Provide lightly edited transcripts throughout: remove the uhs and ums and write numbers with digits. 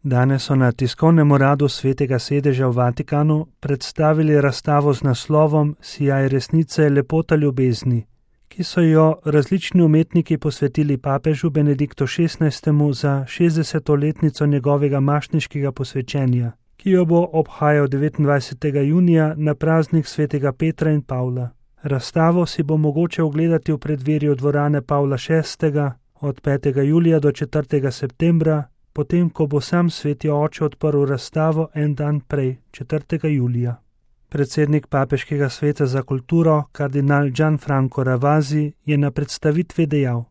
Danes so na tiskovnem uradu Svetega sedeža v Vatikanu predstavili razstavo z naslovom Sijaj resnice, lepota ljubezni, ki so jo različni umetniki posvetili papežu Benediktu XVI. Za 60-letnico njegovega mašniškega posvečenja, ki jo bo obhajal 29. junija na praznik Svetega Petra in Pavla. Razstavo si bo mogoče ogledati v preddverju dvorane Pavla VI. Od 5. julija do 4. septembra, potem ko bo sam Sveti Oče odprl razstavo en dan prej, 4. julija. Predsednik Papeškega sveta za kulturo, kardinal Gianfranco Ravasi, je na predstavitvi dejal: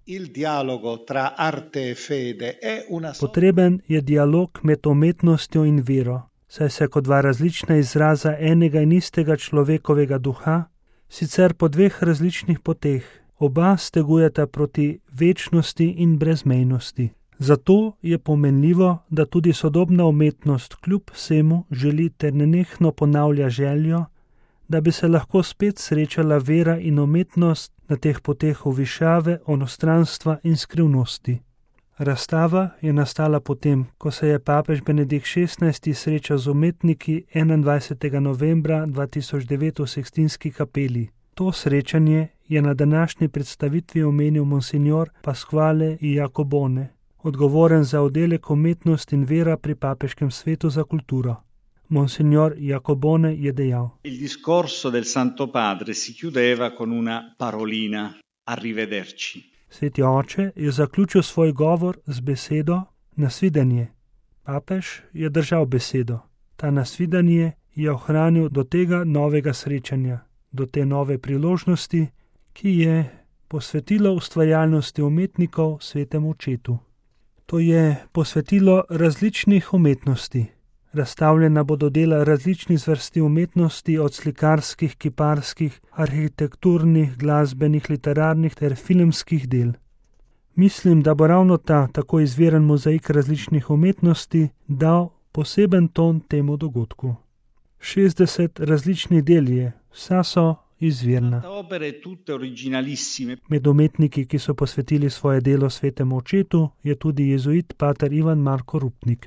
Potreben je dialog med umetnostjo in vero, saj se kot dva različna izraza enega in istega človekovega duha, sicer po dveh različnih poteh, oba stegujeta proti večnosti in brezmejnosti. Zato je pomenljivo, da tudi sodobna umetnost kljub vsemu želi ter nenehno ponavlja željo, da bi se lahko spet srečala vera in umetnost na teh poteh višave, onostranstva in skrivnosti. Razstava je nastala potem, ko se je papež Benedikt XVI. Srečal z umetniki 21. novembra 2009 v Sikstinski kapeli. To srečanje je na današnji predstavitvi omenil monsignor Pasquale Iacobone, odgovoren za oddelek umetnost in vera pri Papeškem svetu za kulturo. Monsignor Iacobone je dejal: Il discorso del Santo Padre si chiudeva con una parolina, arrivederci. Sveti oče je zaključil svoj govor z besedo nasvidenje. Papež je držal besedo. Ta nasvidenje je ohranil do tega novega srečanja, do te nove priložnosti, ki je posvetilo ustvarjalnosti umetnikov Svetemu Očetu. To je posvetilo različnih umetnosti. Razstavljena bodo dela različnih zvrsti umetnosti, od slikarskih, kiparskih, arhitekturnih, glasbenih, literarnih ter filmskih del. Mislim, da bo ravno ta tako izviren mozaik različnih umetnosti dal poseben ton temu dogodku. 60 različnih del je, vsa so izvirna. Med umetniki, ki so posvetili svoje delo Svetemu Očetu, je tudi jezuit pater Ivan Marko Rupnik.